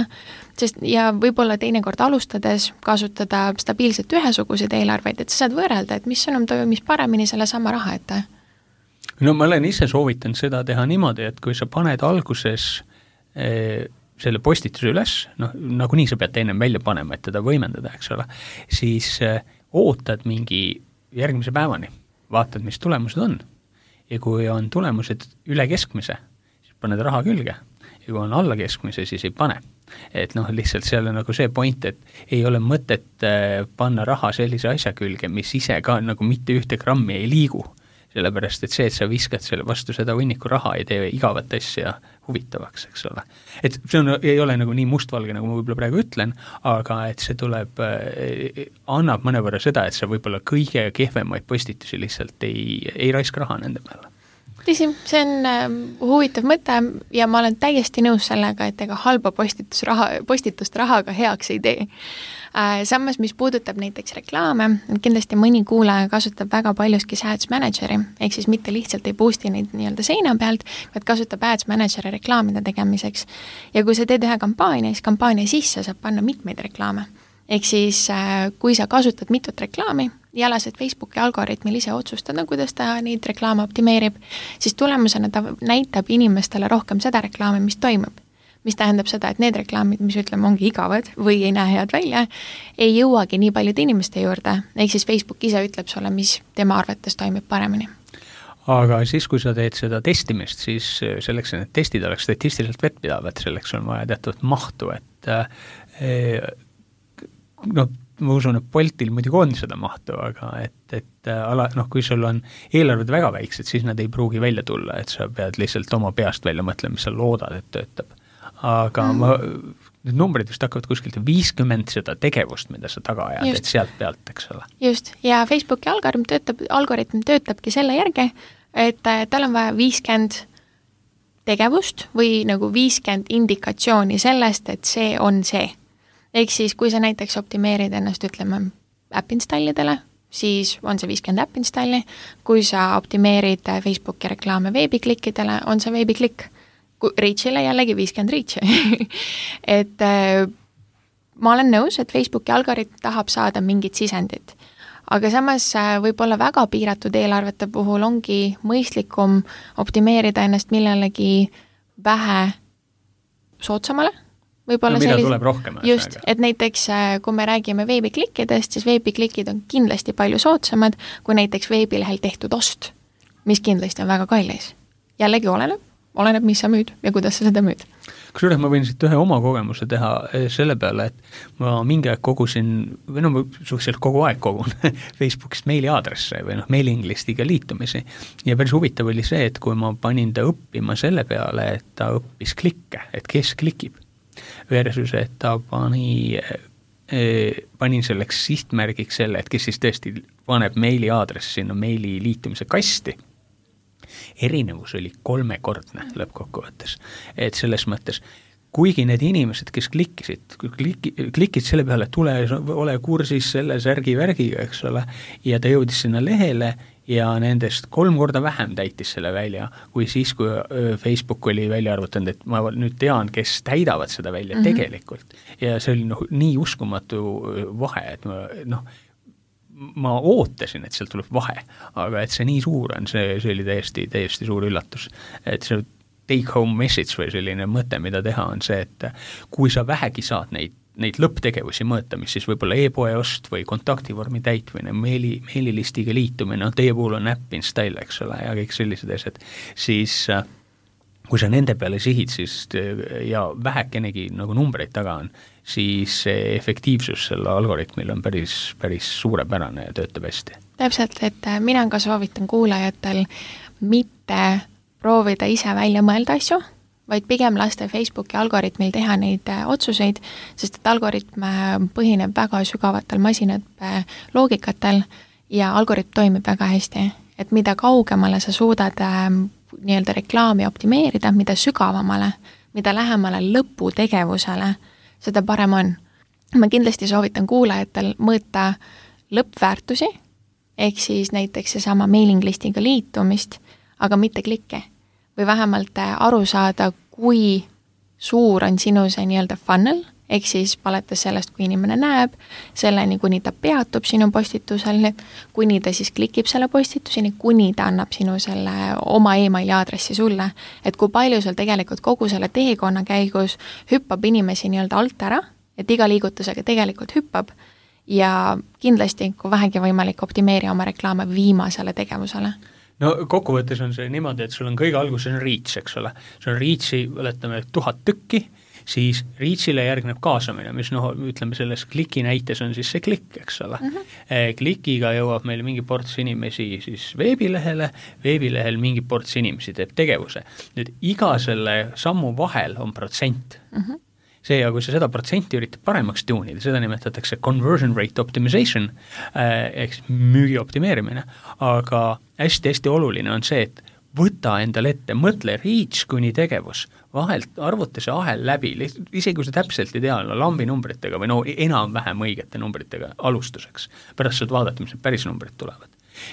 sest ja võib-olla teinekord alustades kasutada stabiilselt ühesuguseid eelarveid, et sa saad võrrelda, et mis sõnum toimis paremini selle sama raha ette. No ma olen ise soovitanud seda teha niimoodi, et kui sa paned alguses selle postituse üles, nagunii sa pead ennem välja panema, et teda võimendada, eks ole, siis ootad mingi järgmise päevani, vaatad, mis tulemused on. Ja kui on tulemused üle keskmise, siis paned raha külge. Ja kui on alla keskmise, siis ei pane. Et lihtsalt seal on nagu see point, et ei ole mõtet panna raha sellise asja külge, mis ise ka nagu mitte ühte grammi ei liigu. Sellepärast, et see, et sa viskad selle vastu seda hunniku raha, ei tee igavat asja huvitavaks, eks ole. Et see ei ole nagu nii mustvalge, nagu ma võib-olla praegu ütlen, aga et see tuleb, annab mõnevõrra seda, et sa võib-olla kõige kehvemaid postitusi lihtsalt ei raiska raha nende peale. Tõsi, see on huvitav mõte ja ma olen täiesti nõus sellega, et ega halba postitust rahaga heaks ei tee. Samas, mis puudutab näiteks reklaame, kindlasti mõni kuulaja kasutab väga paljuski Ads Manageri, ehk siis mitte lihtsalt ei boosti neid nii-öelda seina pealt, vaid kasutab Ads Manageri reklaamide tegemiseks. Ja kui sa teed ühe kampaania, siis kampaania sisse saab panna mitmeid reklaame. Ehk siis, kui sa kasutad mitut reklaami ja lased Facebooki algoritmil ise otsustada, kuidas ta neid reklaame optimeerib, siis tulemusena ta näitab inimestele rohkem seda reklaami, mis toimub. Mis tähendab seda, et need reklaamid, mis ütleme ongi igavad või ei näe head välja, ei jõuagi nii paljude inimeste juurde. Ehk siis Facebook ise ütleb sulle, mis tema arvates toimib paremini. Aga siis, kui sa teed seda testimist, siis selleks, et need testid oleks statistiliselt vettpidavad, selleks on vaja teatud mahtu, et ma usun, et Boltil muidugi on seda mahtu, aga kui sul on eelarved väga väiksed, siis nad ei pruugi välja tulla, et sa pead lihtsalt oma peast välja mõtlema, mis sa loodad, et töötab. Aga need numbrid vist hakkavad kuskilt 50 seda tegevust, mida sa taga ajad, et sealt pealt, eks ole. Just, ja Facebooki algoritm töötabki selle järgi, et tal on vaja 50 tegevust või nagu 50 indikatsiooni sellest, et see on see. Ehk siis, kui sa näiteks optimeerid ennast, ütleme, äpp installidele, siis on see 50 äpp installi, kui sa optimeerid Facebooki reklaame veebiklikkidele, on see veebiklikk. Reachile jällegi 50 reach'i. Et ma olen nõus, et Facebooki algoritm tahab saada mingit sisendit, aga samas võib-olla väga piiratud eelarvete puhul ongi mõistlikum optimeerida ennast millelegi vähe soodsamale. Võib-olla mida tuleb rohkem. Just, et näiteks kui me räägime veebiklikkidest, siis veebiklikid on kindlasti palju soodsamad kui näiteks veebilehel tehtud ost, mis kindlasti on väga kallis. Jällegi oleneb, mis sa müüd ja kuidas sa seda müüd. Kusjuures ma võin siit ühe oma kogemuse teha selle peale, et ma mingi aeg kogusin, või ma suhteliselt kogu aeg kogun Facebookist meiliaadresse või mailing listiga liitumisi. Ja päris huvitav oli see, et kui ma panin ta õppima selle peale, et ta õppis klikke, et kes klikib, versus, et ta panin selleks sihtmärgiks selle, et kes siis tõesti paneb meiliaadressi sinna meili liitumise kasti. Erinevus oli 3-kordne lõppkokkuvõttes. Et selles mõttes, kuigi need inimesed, kes klikkisid selle peale, et ole kursis selle särgi-värgiga, eks ole, ja ta jõudis sinna lehele ja nendest 3 korda vähem täitis selle välja, kui siis, kui Facebook oli välja arvutanud, et ma nüüd tean, kes täidavad seda välja tegelikult. Ja see oli nii uskumatu vahe, et ma ootasin, et sealt tuleb vahe, aga et see nii suur on, see oli täiesti suur üllatus. Et see take home message või selline mõte, mida teha, on see, et kui sa vähegi saad neid lõpptegevusi mõõta, mis siis võib-olla e-poe ost või kontaktivormi täitmine, meililistiga liitumine, teie puhul on äpp install, eks ole, ja kõik sellised asjad, siis kui sa nende peale sihid, siis ja vähekenegi nagu numbreid taga on, siis efektiivsus selle algoritmil on päris suurepärane ja töötab hästi. Täpselt, et mina ka soovitan kuulajatel mitte proovida ise välja mõelda asju, vaid pigem lasta Facebooki algoritmil teha neid otsuseid, sest et algoritm põhineb väga sügavatel masinate loogikatel ja algoritm toimib väga hästi. Et mida kaugemale sa suudad nii-öelda reklaami optimeerida, mida sügavamale, mida lähemale lõputegevusele, seda parem on. Ma kindlasti soovitan kuulajatel mõõta lõppväärtusi, ehk siis näiteks seesama mailing listiga liitumist, aga mitte klikke. Või vähemalt aru saada, kui suur on sinu see nii-öelda funnel, ehk siis paletes sellest, kui inimene näeb, selleni, kuni ta peatub sinu postitusel, kuni ta siis klikib selle postituseni, kuni ta annab sinu selle oma emaili aadressi sulle, et kui palju sul tegelikult kogu selle teekonna käigus hüppab inimesi nii-öelda alt ära, et iga liigutusega tegelikult hüppab ja kindlasti, kui vähegi võimalik, optimeeri oma reklaame viimasele tegevusele. No kokkuvõttes on see niimoodi, et sul on kõige alguses on reach, eks ole. Sul on reachi, võletame 1000 tükki, siis reachile järgneb kaasamine, mis ütleme selles kliki näites on siis see klikk, eks ole. Klikiga jõuab meil mingi ports inimesi siis veebilehel mingi ports inimesi teeb tegevuse. Nüüd iga selle sammu vahel on protsent. See, ja kui sa seda protsenti üritad paremaks tuunida, seda nimetatakse conversion rate optimization, ehk müügi optimeerimine, aga hästi oluline on see, et võta endale ette, mõtle reach kuni tegevus, vahelt arvuta see ahel läbi, isegi kui sa täpselt ei tea, lambi numbritega või enam-vähem õigete numbritega alustuseks, pärast saad vaadata, mis need päris numbrid tulevad.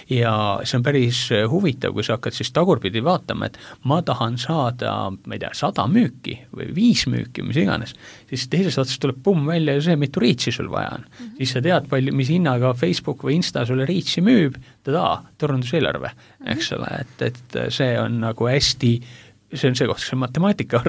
Ja see on päris huvitav, kui sa hakkad siis tagurpidi vaatama, et ma tahan saada, ma ei tea, 100 müüki või 5 müüki, mis iganes, siis teisest otsast tuleb välja see, mitu reachi sul vaja on. Siis sa tead, mis hinnaga Facebook või Insta sulle reachi müüb, turunduseelarve, eks ole, et see on nagu hästi, see on see koht, see matemaatika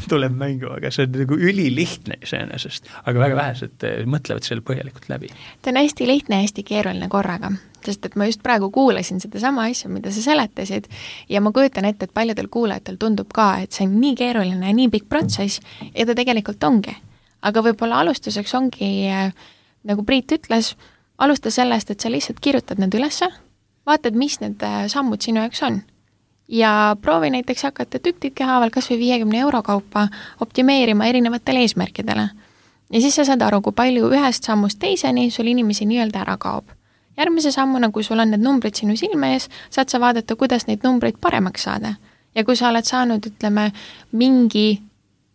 tuleb mängu, aga see on nagu ülilihtne iseenesest, aga väga vähesed mõtlevad selle põhjalikult läbi. Ta on hästi lihtne ja hästi keeruline korraga, sest et ma just praegu kuulasin seda sama asja, mida sa seletasid ja ma kujutan ette, et paljudel kuulajatel tundub ka, et see on nii keeruline ja nii pikk protsess ja ta tegelikult ongi. Aga võib-olla alustuseks ongi, nagu Priit ütles, alusta sellest, et sa lihtsalt kirjutad need ülesse, vaatad, mis need sammud sinu jaoks on. Ja proovi näiteks hakata tüktidki haaval kas või 50 euro kaupa optimeerima erinevatele eesmärkidele. Ja siis sa saad aru, kui palju ühest sammust teiseni sul inimesi nii-öelda ära kaob. Järgmise sammuna, kui sul on need numbrid sinu silme ees, saad sa vaadata, kuidas neid numbreid paremaks saada. Ja kui sa oled saanud, ütleme, mingi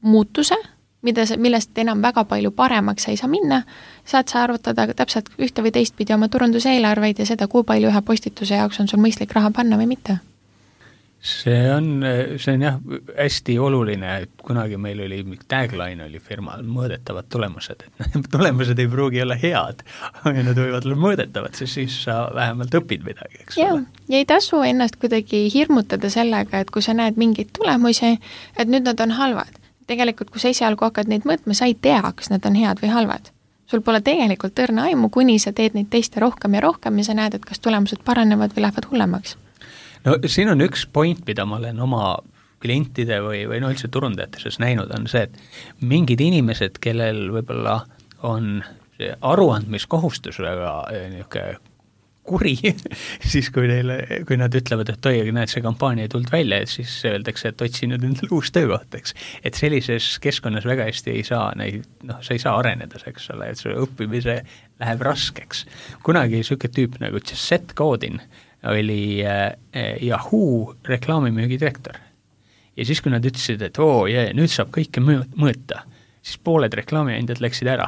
muutuse millest enam väga palju paremaks sa ei saa minna, saad sa arvutada täpselt ühte või teistpidi oma turunduseelarveid ja seda, kui palju ühe postituse jaoks on sul mõistlik raha panna või mitte. See on jah hästi oluline, et kunagi meil oli tagline oli firmal mõõdetavad tulemused, et tulemused ei pruugi olla head, aga nad võivad olla mõõdetavad, sest siis sa vähemalt õpid midagi, eks ole. Ja ei tasu ennast kuidagi hirmutada sellega, et kui sa näed mingeid tulemusi, et nüüd nad on halvad. Tegelikult, kui sa esialgu hakkad neid mõõtma, sa ei tea, kas nad on head või halvad. Sul pole tegelikult õrna aimu, kuni sa teed neid teste rohkem ja sa näed, et kas tulemused paranevad või lähevad hullemaks. No siin on üks point, mida ma olen oma klientide või üldse turundajate sees näinud, on see, et mingid inimesed, kellel võib-olla on see aruandmiskohustus väga niisugune kuri, siis kui nad ütlevad, et oi, näed, see kampaania ei tulnud välja, et siis öeldakse, et otsi nüüd endale uus töökoht, eks. Et sellises keskkonnas väga hästi ei saa sa ei saa areneda, eks ole, et see õppimise läheb raskeks. Kunagi niisugune tüüp nagu Seth Godin oli Yahoo reklaamimüügi direktor. Ja siis, kui nad ütlesid, et nüüd saab kõike mõõta, siis pooled reklaamiandjad läksid ära.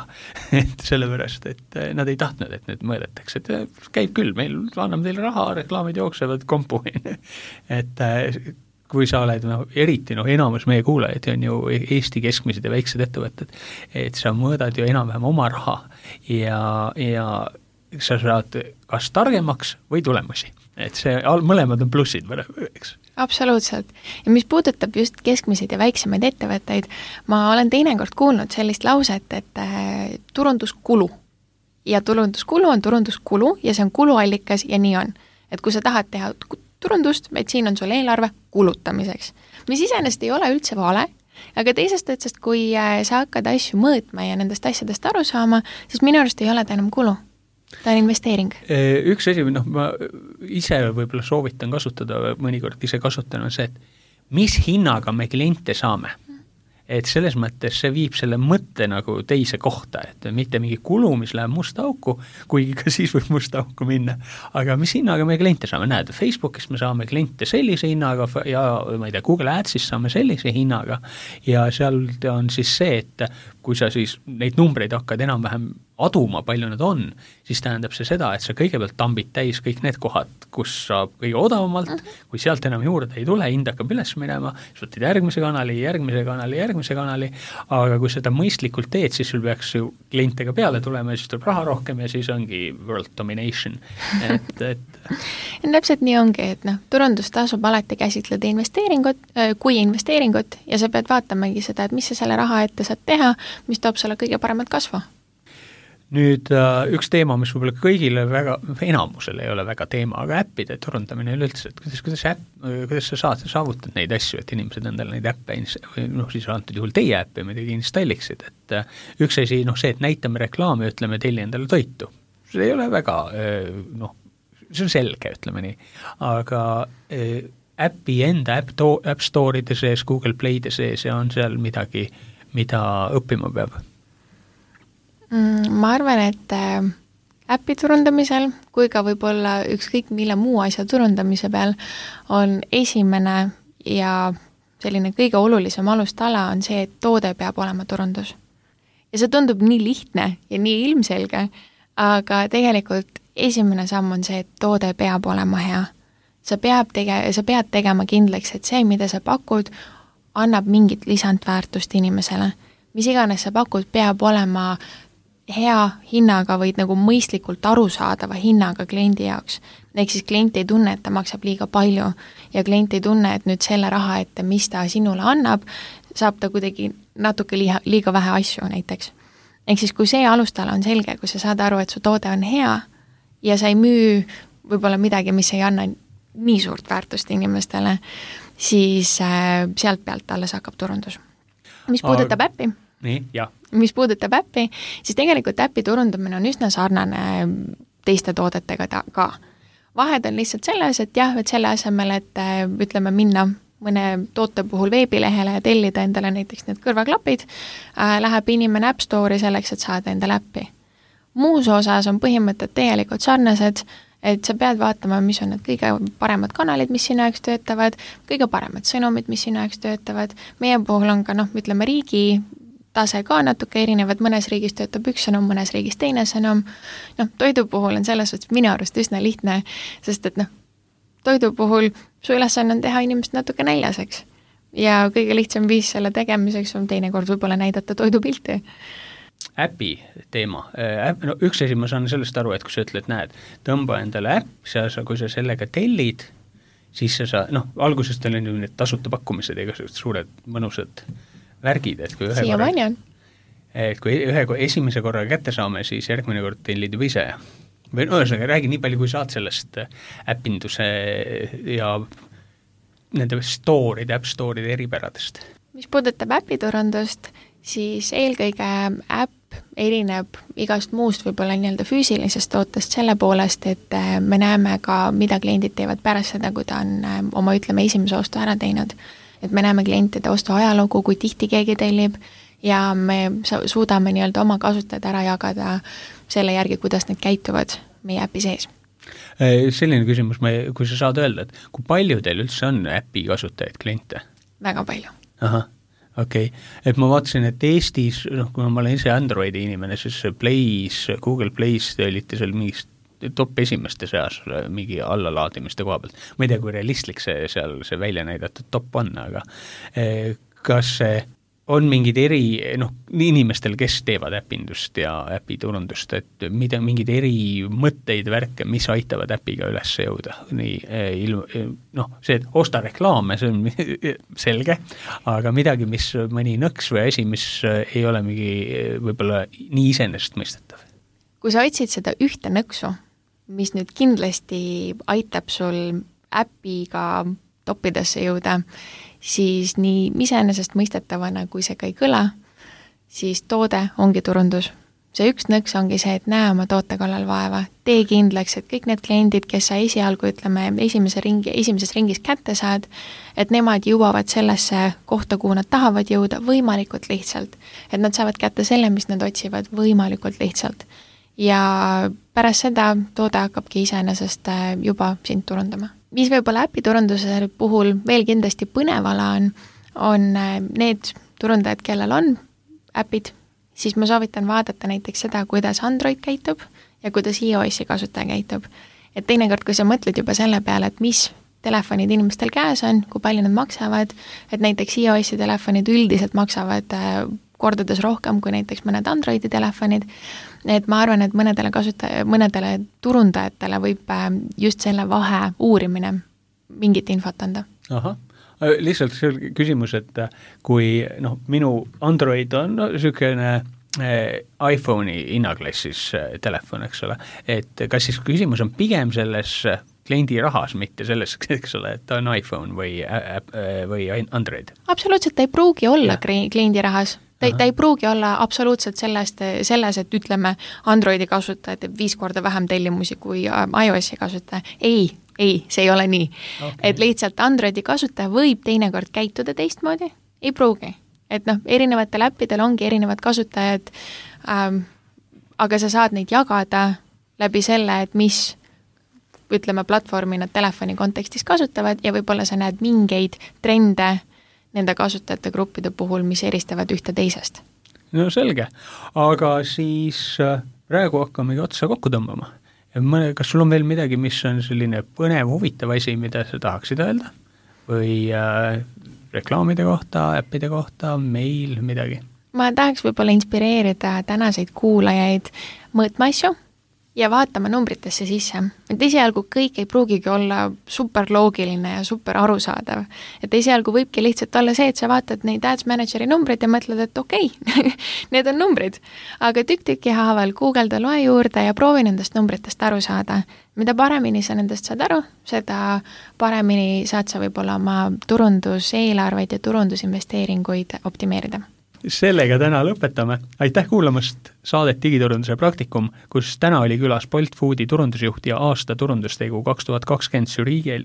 Et sellepärast, et nad ei tahtnud, et nüüd mõõdetakse. Et käib küll, meil anname teile raha, reklaamid jooksevad kompu. Et kui sa oled, eriti enamus meie kuulajad on ju Eesti keskmised ja väiksed ettevõtted, et sa mõõdad ju enam-vähem oma raha ja sa saad kas targemaks või tulemusi. Et see mõlemad on plussid, eks. Absoluutselt. Ja mis puudutab just keskmiseid ja väiksemaid ettevõtteid, ma olen teinekord kuulnud sellist lauset, et turunduskulu. Ja turunduskulu on turunduskulu ja see on kuluallikas ja nii on. Et kui sa tahad teha turundust, et siin on sul eelarve kulutamiseks. Mis iseenesest ei ole üldse vale, aga teisest otsast, kui sa hakkad asju mõõtma ja nendest asjadest aru saama, siis minu arust ei ole ta enam kulu. Ta on investeering. Üks asi, ma ise võib-olla soovitan kasutada, mõnikord ise kasutan, on see, et mis hinnaga me kliente saame. Et selles mõttes see viib selle mõtte nagu teise kohta, et mitte mingi kulu, mis läheb musta auku, kuigi ka siis võib musta auku minna, aga mis hinnaga me kliente saame, näed, Facebookis me saame kliente sellise hinnaga ja ma ei tea, Google Ads'is saame sellise hinnaga ja seal on siis see, et kui sa siis neid numbreid hakkad enam-vähem aduma, palju nad on, siis tähendab see seda, et sa kõigepealt tambid täis kõik need kohad, kus saab kõige odavamalt, kui sealt enam juurde ei tule, hind hakkab üles minema, siis võtid järgmise kanali, aga kui seda mõistlikult teed, siis sul peaks ju klientega peale tulema ja siis tuleb raha rohkem ja siis ongi world domination. Täpselt nii ongi, et turundus tasub alati käsitleda kui investeeringut ja sa pead vaatamagi seda, et mis sa selle raha ette saad teha, mis toob sulle kõige paremat kasvu. Nüüd üks teema, mis võib-olla kõigile enamusele ei ole väga teema, aga äppide turundamine üleüldse, et kuidas sa saavutad neid asju, et inimesed endale neid äppe, siis antud juhul teie äppi muidugi installiksid, et üks asi, see, et näitame reklaami, ütleme telli endale toitu. See ei ole väga, see on selge, ütleme nii, aga äppi enda App Store'ide sees, Google Play'de sees ja on seal midagi, mida õppima peab. Ma arvan, et äppi turundamisel, kui ka võib-olla ükskõik mille muu asja turundamise peal on esimene ja selline kõige olulisem alustala on see, et toode peab olema turundus. Ja see tundub nii lihtne ja nii ilmselge, aga tegelikult esimene samm on see, et toode peab olema hea. Sa pead tegema kindlaks, et see, mida sa pakud, annab mingit lisandväärtust inimesele. Mis iganes sa pakud, peab olema hea hinnaga või nagu mõistlikult arusaadava hinnaga kliendi jaoks. Ehk siis klient ei tunne, et ta maksab liiga palju ja klient ei tunne, et nüüd selle raha ette, mis ta sinule annab, saab ta kuidagi natuke liiga vähe asju näiteks. Ehk siis kui see alustala on selge, kui sa saad aru, et su toode on hea ja sa ei müü võib-olla midagi, mis ei anna nii suurt väärtust inimestele, siis sealt pealt alles hakkab turundus. Mis puudutab äppi? Nii, jah. Mis puudutab äppi, siis tegelikult äppi turundamine on üsna sarnane teiste toodetega ka. Vahed on lihtsalt selles, et et selle asemel, et ütleme minna mõne toote puhul veebilehele ja tellida endale näiteks need kõrvaklapid, läheb inimene App Store'i selleks, et saada endale äppi. Muus osas on põhimõtted tegelikult sarnased, et sa pead vaatama, mis on need kõige paremad kanalid, mis sinu jaoks töötavad, kõige paremad sõnumid, mis sinu jaoks töötavad. Meie puhul on ka, ütleme, riigi tase ka natuke erinevad, mõnes riigis töötab üks sõnum, mõnes riigis teine sõnum. Toidu puhul on selles suhtes minu arust üsna lihtne, sest et toidu puhul su ülesanne on teha inimest natuke näljaseks. Ja kõige lihtsam viis selle tegemiseks on teinekord võib-olla näidata toidupilti. Äpi teema. Üks asi ma saan sellest aru, et kui sa ütled, näed, tõmba endale äpp, kui sa sellega tellid, siis sa algusest on ju need tasuta pakkumised, igasugused suured mõnusad värgid, et kui ühe esimese korra kätte saame, siis järgmine kord tellid juba ise. Või ühesõnaga, räägi nii palju, kui saad sellest äppinduse ja nende app store'ide eripäradest. Mis puudutab äpiturundust, siis eelkõige äpp erineb igast muust võib-olla nii-öelda füüsilisest tootest selle poolest, et me näeme ka, mida kliendid teevad pärast seda, kui ta on oma, esimese ostu ära teinud. Et me näeme klientide ostu ajalugu, kui tihti keegi tellib ja me suudame nii-öelda oma kasutajad ära jagada selle järgi, kuidas need käituvad meie äpi sees. Selline küsimus, kui sa saad öelda, et kui palju teil üldse on äpi kasutajaid kliente? Väga palju. Ahah, okei. Et ma vaatasin, et Eestis, kui ma olen ise Androidi inimene, siis Google Play's te olite seal mingist top esimeste seas mingi allalaadimiste koha pealt. Ma ei tea, kui realistlik see välja näidatud top on, aga kas on mingid inimestel, kes teevad äpindust ja äpiturundust, et mingid eri mõtteid, värke, mis aitavad äpiga üles jõuda? See, et osta reklaame, see on selge, aga midagi, mis mõni nõks või asi, mis ei ole mingi võib-olla nii iseenesestmõistetav. Kui sa otsid seda ühte nõksu, mis nüüd kindlasti aitab sul äpiga toppidesse jõuda, siis nii iseenesest mõistetavana, kui see ka ei kõla, siis toode ongi turundus. See üks nõks ongi see, et näe oma toote kallal vaeva, tee kindlaks, et kõik need kliendid, kes sa esialgu, esimeses ringis kätte saad, et nemad jõuavad sellesse kohta, kuhu nad tahavad jõuda võimalikult lihtsalt. Et nad saavad kätte selle, mis nad otsivad võimalikult lihtsalt. Ja pärast seda toode hakkabki iseenesest juba sind turundama. Mis võib-olla äpiturunduse puhul veel kindlasti põnevala on need turundajad, kellel on äpid, siis ma soovitan vaadata näiteks seda, kuidas Android käitub ja kuidas iOS-i kasutaja käitub. Et teinekord, kui sa mõtled juba selle peale, et mis telefonid inimestel käes on, kui palju nad maksavad, et näiteks iOS-i telefonid üldiselt maksavad kordades rohkem kui näiteks mõned Androidi telefonid, et ma arvan, et mõnedele turundajatele võib just selle vahe uurimine mingit infot anda. Aha. Lihtsalt see küsimus, et kui minu Android on niisugune iPhone'i hinnaklassis telefon, eks ole, et kas siis küsimus on pigem selles kliendi rahas, mitte selles, eks ole, et ta on iPhone või Android? Absoluutselt, ta ei pruugi olla kliendi rahas. Ta ei pruugi olla absoluutselt selles, et ütleme, Androidi kasutaja teeb 5 korda vähem tellimusi kui iOS-i kasutaja. Ei, see ei ole nii. Okay. Et lihtsalt Androidi kasutaja võib teinekord käituda teistmoodi, ei pruugi. Et erinevatel äppidel ongi erinevad kasutajad, aga sa saad neid jagada läbi selle, et mis ütleme platvormi nad telefoni kontekstis kasutavad ja võib-olla sa näed mingeid trende nende kasutajate gruppide puhul, mis eristavad ühte teisest. No selge, aga siis praegu hakkamegi otsa kokku tõmbama. Kas sul on veel midagi, mis on selline põnev, huvitav asi, mida sa tahaksid öelda? Või reklaamide kohta, äppide kohta, meil, midagi? Ma tahaks võib-olla inspireerida tänaseid kuulajaid mõõtma asju ja vaatama numbritesse sisse. Et esialgu kõik ei pruugigi olla super loogiline ja super arusaadav. Et esialgu võibki lihtsalt olla see, et sa vaatad neid Ads Manageri numbrid ja mõtled, et okei, need on numbrid. Aga tükk-tükki haaval Google'da loe juurde ja proovi nendest numbritest aru saada. Mida paremini sa nendest saad aru, seda paremini saad sa võib-olla oma turunduseelarveid ja turundusinvesteeringuid optimeerida. Sellega täna lõpetame. Aitäh kuulamast saadet Digiturunduse praktikum, kus täna oli külas Bolt Foodi turundusjuht ja aasta turundustegu 2020 žürii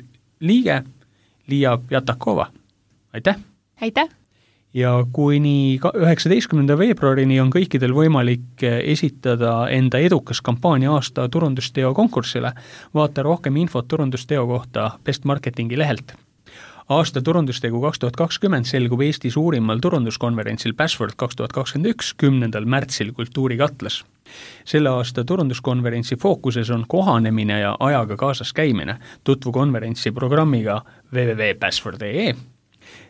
liige Liia Jatakova. Aitäh! Aitäh! Ja kuni 19. veebruarini on kõikidel võimalik esitada enda edukas kampaania aasta turundusteo konkursile. Vaata rohkem infot turundusteo kohta Best Marketingi lehelt. Aasta turundustegu 2020 selgub Eesti suurimal turunduskonverentsil Password 2021 10. märtsil Kultuurikatlas. Selle aasta turunduskonverentsi fookuses on kohanemine ja ajaga kaasas käimine. Tutvu konverentsi programmiga www.password.ee.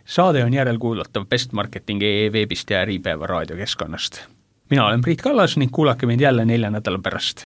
Saade on järelkuulatav bestmarketing.ee veebist ja Äripäeva raadiokeskkonnast. Mina olen Priit Kallas ning kuulake mind jälle 4 nädala pärast.